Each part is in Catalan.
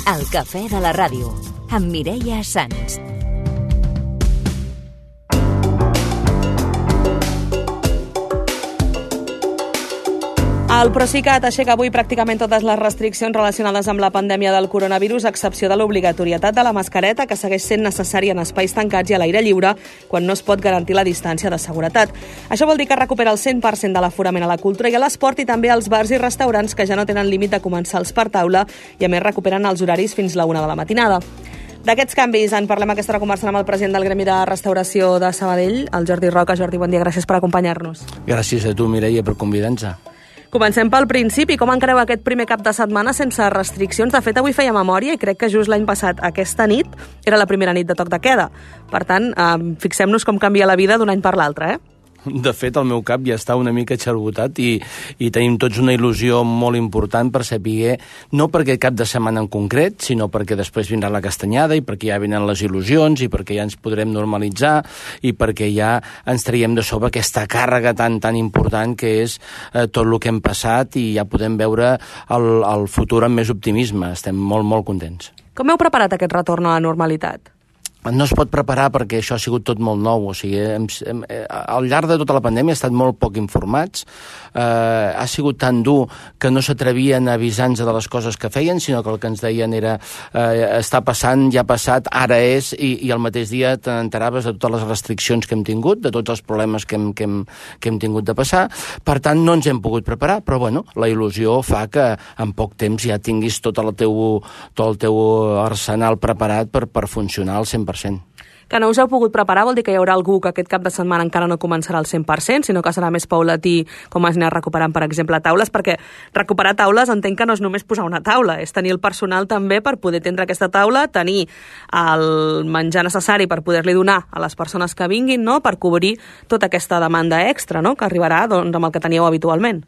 El cafè de la ràdio, amb Mireia Sans. El Procicat aixeca avui pràcticament totes les restriccions relacionades amb la pandèmia del coronavirus, a excepció de l'obligatorietat de la mascareta, que segueix sent necessària en espais tancats i a l'aire lliure quan no es pot garantir la distància de seguretat. Això vol dir que recupera el 100% de l'aforament a la cultura i a l'esport i també als bars i restaurants que ja no tenen límit de comensals per taula i a més recuperen els horaris fins la 1 de la matinada. D'aquests canvis en parlem aquesta hora conversant amb el president del Gremi de Restauració de Sabadell, el Jordi Roca. Jordi, bon dia, gràcies per acompanyar-nos. Gràcies a tu, Mireia, per convidar-nos. Comencem pel principi. Com encareu aquest primer cap de setmana sense restriccions? De fet, avui feia memòria i crec que just l'any passat, aquesta nit, era la primera nit de toc de queda. Per tant, fixem-nos com canvia la vida d'un any per l'altre, De fet, el meu cap ja està una mica xarbotat i tenim tots una il·lusió molt important per saber, no per aquest cap de setmana en concret, sinó perquè després vindrà la castanyada i perquè ja venen les il·lusions i perquè ja ens podrem normalitzar i perquè ja ens traiem de sobre aquesta càrrega tan important que és tot el que hem passat i ja podem veure el futur amb més optimisme. Estem molt, molt contents. Com heu preparat aquest retorn a la normalitat? No es pot preparar perquè això ha sigut tot molt nou. O sigui, al llarg de tota la pandèmia hem estat molt poc informats. Ha sigut tan dur que no s'atrevien a avisar-nos de les coses que feien, sinó que el que ens deien era està passant, ja ha passat, ara és, i al mateix dia t'enteraves de totes les restriccions que hem tingut, de tots els problemes que hem tingut de passar. Per tant, no ens hem pogut preparar, però bueno, la il·lusió fa que en poc temps ja tinguis tot el teu arsenal preparat per funcionar al 100%. Que no us heu pogut preparar vol dir que hi haurà algú que aquest cap de setmana encara no començarà al 100%, sinó que serà més paulatí com es anirà recuperant, per exemple, taules, perquè recuperar taules entenc que no és només posar una taula, és tenir el personal també per poder tindre aquesta taula, tenir el menjar necessari per poder-li donar a les persones que vinguin, no?, per cobrir tota aquesta demanda extra, no?, que arribarà doncs, amb el que teníeu habitualment.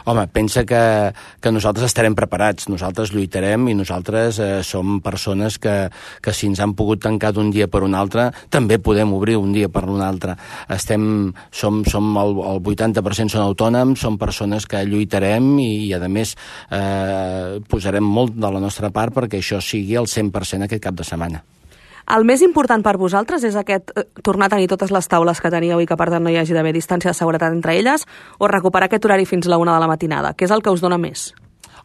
Home, pensa que nosaltres estarem preparats, nosaltres lluitarem i nosaltres som persones que si ens han pogut tancar d'un dia per un altre, també podem obrir un dia per un altre. Som el 80% són autònoms, som persones que lluitarem i a més, posarem molt de la nostra part perquè això sigui el 100% aquest cap de setmana. El més important per vosaltres és tornar a tenir totes les taules que teníeu i que per tant no hi hagi d'haver distància de seguretat entre elles, o recuperar aquest horari fins la 1 de la matinada? Què és el que us dona més?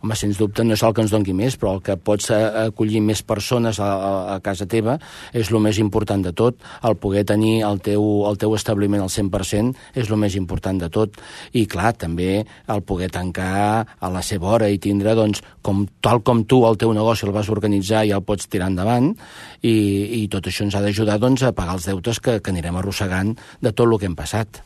Home, sens dubte no és el que ens doni més, però el que pots acollir més persones a casa teva és el més important de tot. El poder tenir el teu establiment al 100% és el més important de tot. I, clar, també el poder tancar a la seva hora i tindre, doncs, tal com tu el teu negoci el vas organitzar i el pots tirar endavant, i tot això ens ha d'ajudar, doncs, a pagar els deutes que anirem arrossegant de tot el que hem passat.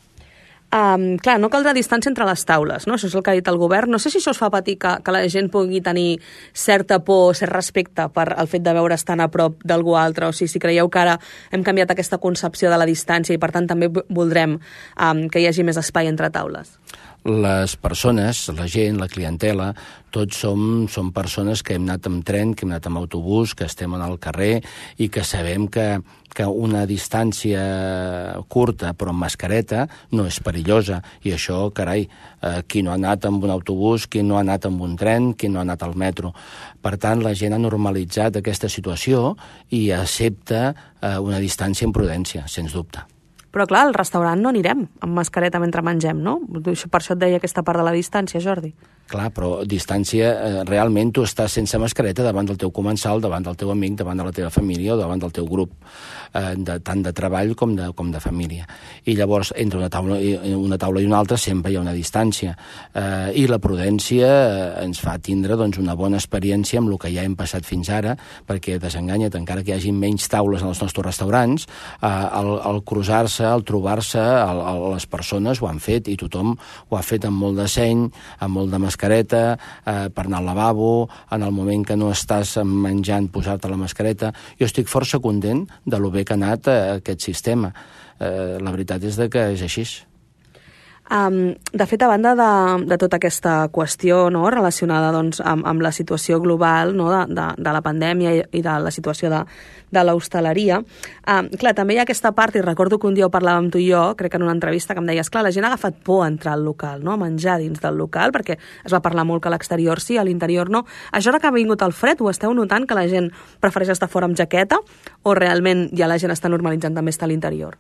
Clar, no caldrà distància entre les taules, no? Això és el que ha dit el govern. No sé si això us fa patir que la gent pugui tenir certa por, cert respecte per el fet de veure's tan a prop d'algú altre, o si creieu que ara hem canviat aquesta concepció de la distància i per tant també voldrem que hi hagi més espai entre taules. Les persones, la gent, la clientela, tots som persones que hem anat amb tren, que hem anat amb autobús, que estem al carrer i que sabem que una distància curta però amb mascareta no és perillosa. I això, carai, qui no ha anat amb un autobús, qui no ha anat amb un tren, qui no ha anat al metro. Per tant, la gent ha normalitzat aquesta situació i accepta una distància amb prudència, sens dubte. Però clar, al restaurant no anirem amb mascareta mentre mengem, no? Per això et deia aquesta part de la distància, Jordi. Clar, però distància, realment tu estàs sense mascareta davant del teu comensal, davant del teu amic, davant de la teva família o davant del teu grup, tant de treball com de família. I llavors, entre una taula i una altra sempre hi ha una distància. I la prudència ens fa tindre doncs, una bona experiència amb el que ja hem passat fins ara, perquè desenganya't, encara que hi hagi menys taules en els nostres restaurants, al cruzar-se, al trobar-se, les persones ho han fet i tothom ho ha fet amb molt de seny, amb molt de mascareta, per anar al lavabo, en el moment que no estàs menjant, posar-te la mascareta. Jo estic força content de lo bé que ha anat aquest sistema. La veritat és que és així. De fet, a banda de tota aquesta qüestió, no, relacionada doncs, amb la situació global, no, de la pandèmia i de la situació de l'hostaleria, clar, també hi ha aquesta part, i recordo que un dia ho parlàvem tu i jo, crec que en una entrevista, que em deies, clar, la gent ha agafat por a entrar al local, no, a menjar dins del local, perquè es va parlar molt que a l'exterior sí, a l'interior no. Això ara que ha vingut el fred, ho esteu notant, que la gent prefereix estar fora amb jaqueta, o realment ja la gent està normalitzant també estar a l'interior?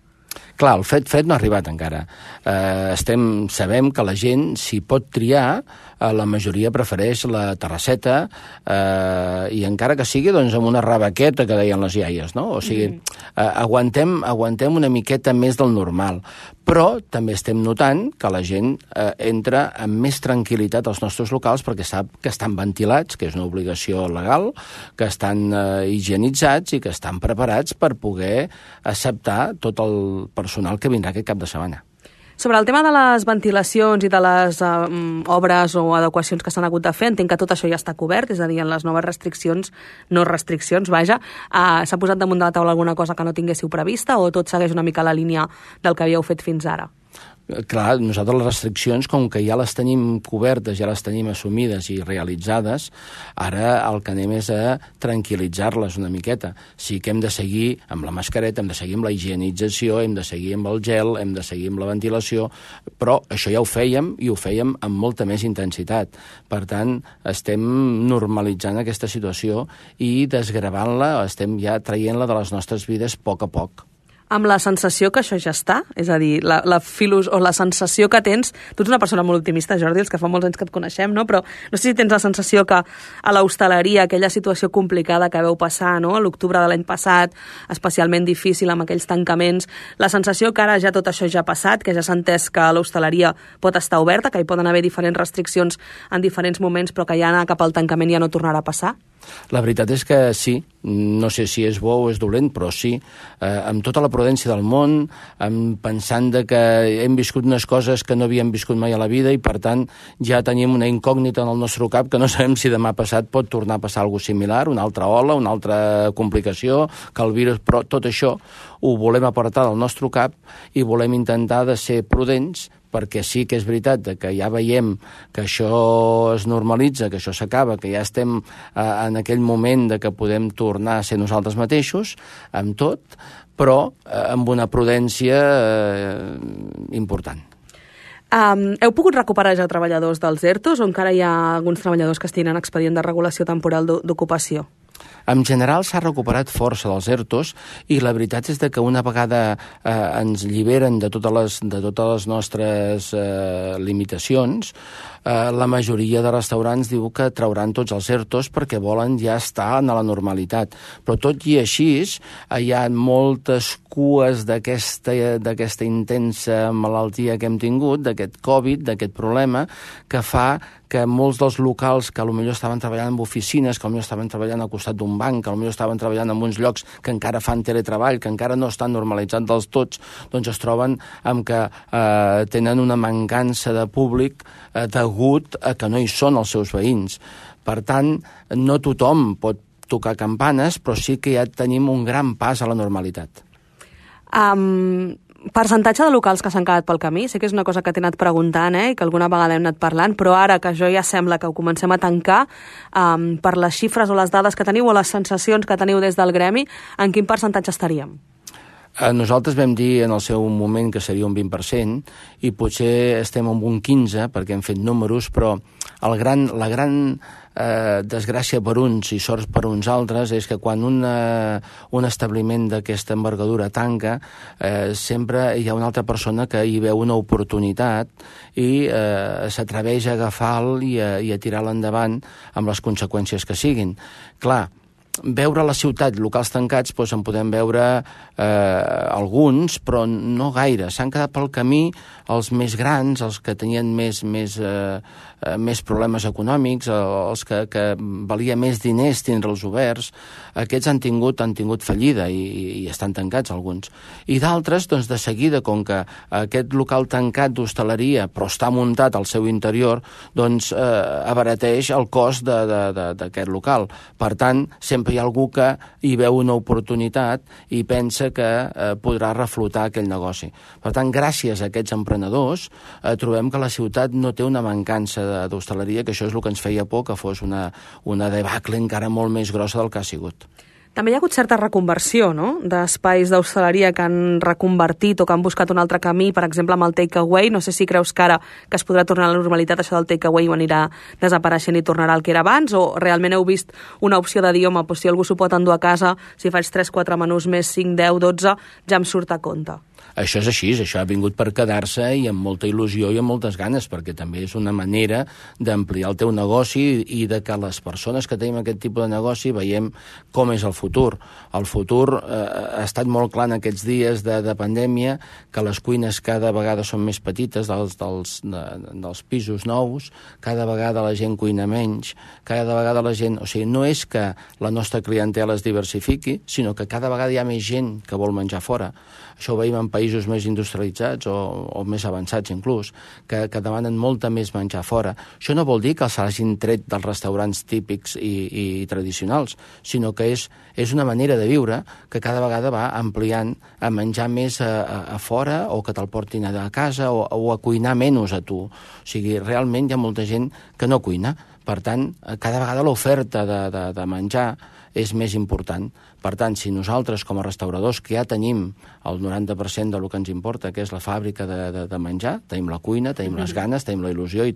Clar, el fred no ha arribat encara. Sabem que la gent, si pot triar, la majoria prefereix la terrasseta i encara que sigui doncs, amb una rabaqueta que deien les iaies, no? O sigui, aguantem una miqueta més del normal. Però també estem notant que la gent entra amb més tranquil·litat als nostres locals perquè sap que estan ventilats, que és una obligació legal, que estan higienitzats i que estan preparats per poder acceptar tot el personal que vindrà aquest cap de setmana. Sobre el tema de les ventilacions i de les obres o adequacions que s'han hagut de fer, entenc que tot això ja està cobert, és a dir, en les noves restriccions, s'ha posat damunt de la taula alguna cosa que no tinguéssiu prevista o tot segueix una mica la línia del que havíeu fet fins ara? Clar, nosaltres les restriccions, com que ja les tenim cobertes, ja les tenim assumides i realitzades, ara el que anem és a tranquil·litzar-les una miqueta. Sí que hem de seguir amb la mascareta, hem de seguir amb la higienització, hem de seguir amb el gel, hem de seguir amb la ventilació, però això ja ho fèiem i ho fèiem amb molta més intensitat. Per tant, estem normalitzant aquesta situació i desgravant-la, estem ja traient-la de les nostres vides a poc. Amb la sensació que això ja està? És a dir, la sensació que tens... Tu ets una persona molt optimista, Jordi, els que fa molts anys que et coneixem, no? Però no sé si tens la sensació que a l'hostaleria, aquella situació complicada que veu passar, no? A l'octubre de l'any passat, especialment difícil amb aquells tancaments, la sensació que ara ja tot això ja ha passat, que ja s'ha entès que l'hostaleria pot estar oberta, que hi poden haver diferents restriccions en diferents moments, però que ja anar cap al tancament ja no tornarà a passar? La veritat és que sí, no sé si és bo o és dolent, però sí, amb tota la prudència del món, pensant que hem viscut unes coses que no havíem viscut mai a la vida i, per tant, ja tenim una incògnita en el nostre cap que no sabem si demà passat pot tornar a passar alguna cosa similar, una altra ola, una altra complicació, que el virus... Però tot això ho volem apartar del nostre cap i volem intentar de ser prudents, perquè sí que és veritat que ja veiem que això es normalitza, que això s'acaba, que ja estem en aquell moment de que podem tornar a ser nosaltres mateixos, amb tot, però amb una prudència important. Heu pogut recuperar ja treballadors dels ERTOs o encara hi ha alguns treballadors que estiguin en expedient de regulació temporal d'ocupació? En general s'ha recuperat força dels ERTOs i la veritat és que una vegada ens lliberen de totes les nostres limitacions, la majoria de restaurants diu que trauran tots els ERTOs perquè volen ja estar en la normalitat. Però tot i així hi ha moltes cues d'aquesta intensa malaltia que hem tingut, d'aquest Covid, d'aquest problema, que fa que molts dels locals que potser estaven treballant en oficines, que potser estaven treballant al costat d'un banc, que potser estaven treballant en uns llocs que encara fan teletreball, que encara no estan normalitzats dels tots, doncs es troben amb que tenen una mancança de públic degut a que no hi són els seus veïns. Per tant, no tothom pot tocar campanes, però sí que ja tenim un gran pas a la normalitat. Percentatge de locals que s'han quedat pel camí, sé que és una cosa que t'he anat preguntant i que alguna vegada hem anat parlant, però ara que això ja sembla que ho comencem a tancar, per les xifres o les dades que teniu o les sensacions que teniu des del gremi, en quin percentatge estaríem? Nosaltres vam dir en el seu moment que seria un 20% i potser estem en un 15% perquè hem fet números, però la gran desgràcia per uns i sort per uns altres és que quan un establiment d'aquesta envergadura tanca, sempre hi ha una altra persona que hi veu una oportunitat i s'atreveix a agafar-lo i a tirar-lo endavant amb les conseqüències que siguin. Clar, veure la ciutat, locals tancats, doncs en podem veure alguns, però no gaire. S'han quedat pel camí els més grans, els que tenien més problemes econòmics, els que valia més diners tindre'ls oberts. Aquests han tingut fallida i estan tancats alguns. I d'altres, doncs de seguida, com que aquest local tancat d'hostaleria, però està muntat al seu interior, doncs abarateix el cost d'aquest local. Per tant, sempre sempre hi ha algú que hi veu una oportunitat i pensa que podrà reflotar aquell negoci. Per tant, gràcies a aquests emprenedors, trobem que la ciutat no té una mancança d'hostaleria, que això és el que ens feia por, que fos una debacle encara molt més grossa del que ha sigut. També hi ha hagut certa reconversió, no?, d'espais d'hostaleria que han reconvertit o que han buscat un altre camí, per exemple, amb el takeaway. No sé si creus que ara que es podrà tornar a la normalitat això del takeaway ho anirà desapareixent i tornarà al que era abans, o realment heu vist una opció de dir, home, si algú s'ho pot endur a casa, si faig 3-4 menús més 5, 10, 12, ja em surt a compte? Això és així, això ha vingut per quedar-se i amb molta il·lusió i amb moltes ganes, perquè també és una manera d'ampliar el teu negoci i de que les persones que tenim aquest tipus de negoci veiem com és el futur. El futur ha estat molt clar en aquests dies de pandèmia, que les cuines cada vegada són més petites dels pisos nous, cada vegada la gent cuina menys, cada vegada la gent... O sigui, no és que la nostra clientela es diversifiqui, sinó que cada vegada hi ha més gent que vol menjar fora. Això ho veiem en països més industrialitzats o més avançats inclús, que demanen molta més menjar fora. Això no vol dir que s'hagin tret dels restaurants típics i tradicionals, sinó que és una manera de viure que cada vegada va ampliant a menjar més a fora, o que te'l portin a casa, o a cuinar menys a tu. O sigui, realment hi ha molta gent que no cuina. Per tant, cada vegada l'oferta de menjar és més important. Per tant, si nosaltres, com a restauradors, que ja tenim el 90% del que ens importa, que és la fàbrica de menjar, tenim la cuina, tenim les ganes, tenim la il·lusió, i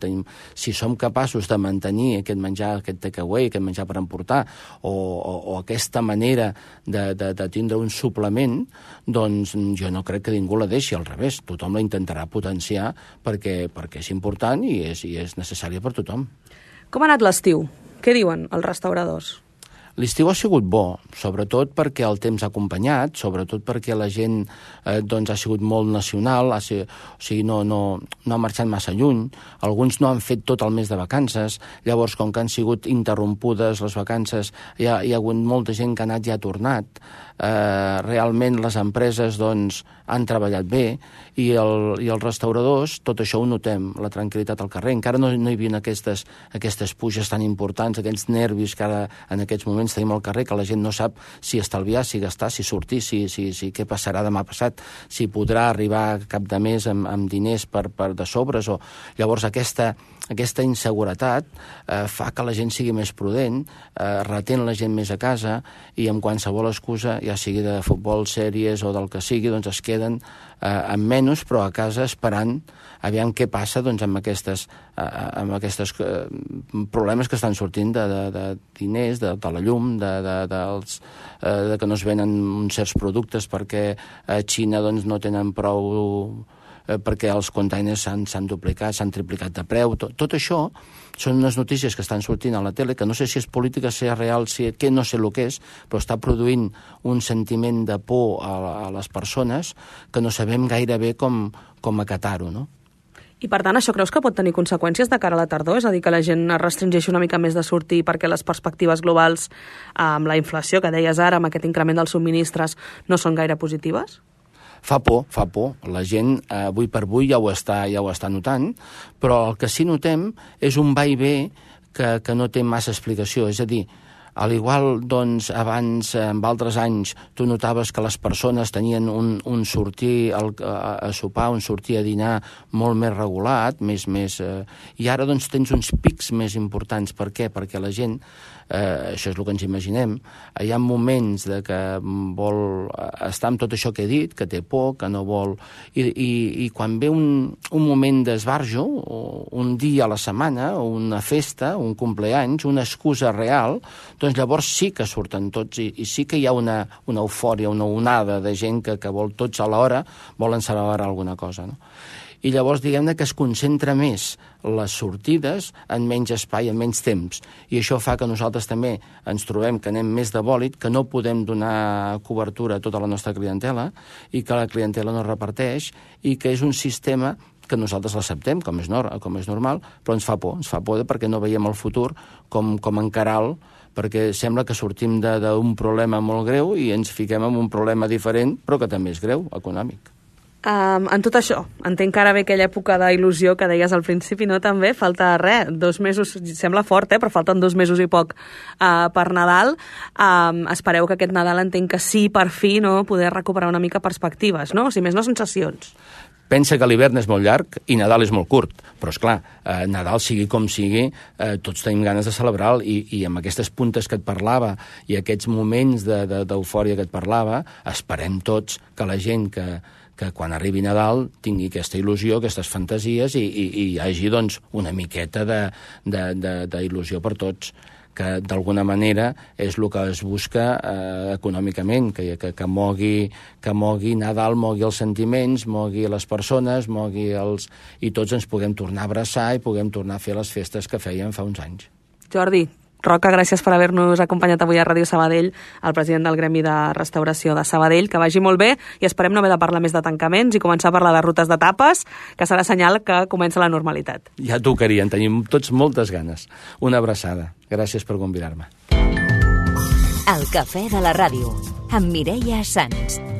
si som capaços de mantenir aquest menjar, aquest takeaway, aquest menjar per emportar, o aquesta manera de tindre un suplement, doncs jo no crec que ningú la deixi, al revés. Tothom la intentarà potenciar perquè és important i és necessària per tothom. Com ha anat l'estiu? Què diuen els restauradors? L'estiu ha sigut bo, sobretot perquè el temps ha acompanyat, sobretot perquè la gent ha sigut molt nacional, o sigui, no ha marxat massa lluny, alguns no han fet tot el mes de vacances, llavors, com que han sigut interrompudes les vacances, hi ha hagut molta gent que ha anat i ha tornat. Realment les empreses han treballat bé, i els restauradors, tot això ho notem, la tranquil·litat al carrer. Encara no hi havia aquestes puges tan importants, aquests nervis que ara en aquests moments tenim al carrer, que la gent no sap si estalviar, si gastar, si sortir, si què passarà demà passat, si podrà arribar a cap de mes amb diners per de sobres. Llavors aquesta inseguretat fa que la gent sigui més prudent, retén la gent més a casa, i amb qualsevol excusa, ja sigui de futbol, sèries o del que sigui, doncs es queden amb menys, però a casa esperant aviam què passa amb aquestes problemes que estan sortint de diners, de la llum, de que no es venen uns certs productes perquè a Xina no tenen prou, perquè els containers s'han duplicat, s'han triplicat de preu. Tot això són unes notícies que estan sortint a la tele, que no sé si és política, si és real, que no sé el que és, però està produint un sentiment de por a les persones que no sabem gaire bé com acatar-ho, no? I, per tant, això creus que pot tenir conseqüències de cara a la tardor? És a dir, que la gent es restringeixi una mica més de sortir perquè les perspectives globals, amb la inflació que deies ara, amb aquest increment dels subministres, no són gaire positives? Fa por. La gent, avui per avui, ja ho està notant, però el que sí notem és un va i ve que no té massa explicació. És a dir, al igual, abans, en altres anys, tu notaves que les persones tenien un sortir a sopar, un sortir a dinar molt més regulat, i ara tens uns pics més importants. Per què? Perquè la gent, això és el que ens imaginem, hi ha moments que vol estar amb tot això que he dit, que té por, que no vol... I quan ve un moment d'esbarjo, un dia a la setmana, una festa, un compleanys, una excusa real, doncs llavors sí que surten tots i sí que hi ha una eufòria, una onada de gent que vol tots a l'hora, volen celebrar alguna cosa, no? I llavors, diguem-ne que es concentra més les sortides en menys espai, en menys temps. I això fa que nosaltres també ens trobem que anem més de bòlit, que no podem donar cobertura a tota la nostra clientela i que la clientela no reparteix, i que és un sistema que nosaltres l'acceptem, com és normal, però ens fa por perquè no veiem el futur com encarar-lo, perquè sembla que sortim d'un problema molt greu i ens fiquem en un problema diferent, però que també és greu, econòmic. En tot això, entenc que ara ve aquella època d'il·lusió que deies al principi, no? També falta res, 2 mesos, sembla fort, però falten 2 mesos i poc per Nadal. Espereu que aquest Nadal entenc que sí, per fi, no? Poder recuperar una mica perspectives, no? Si més no, sensacions. Pensa que l'hivern és molt llarg i Nadal és molt curt, però és clar, Nadal sigui com sigui, tots tenim ganes de celebrar-lo i amb aquestes puntes que et parlava i aquests moments d'eufòria que et parlava, esperem tots que la gent que quan arribi Nadal tingui aquesta il·lusió, aquestes fantasies i hi hagi doncs, una miqueta d'il·lusió per tots, que d'alguna manera és el que es busca econòmicament, que mogui Nadal, mogui els sentiments, mogui les persones, i tots ens puguem tornar a abraçar i puguem tornar a fer les festes que fèiem fa uns anys. Jordi Roca, gràcies per haver-nos acompanyat avui a Ràdio Sabadell, el president del Gremi de Restauració de Sabadell. Que vagi molt bé i esperem no haver de parlar més de tancaments i començar a parlar de rutes de tapes, que serà senyal que comença la normalitat. Ja tocaria, en tenim tots moltes ganes. Una abraçada. Gràcies per convidar-me. El cafè de la ràdio, amb Mireia Sans.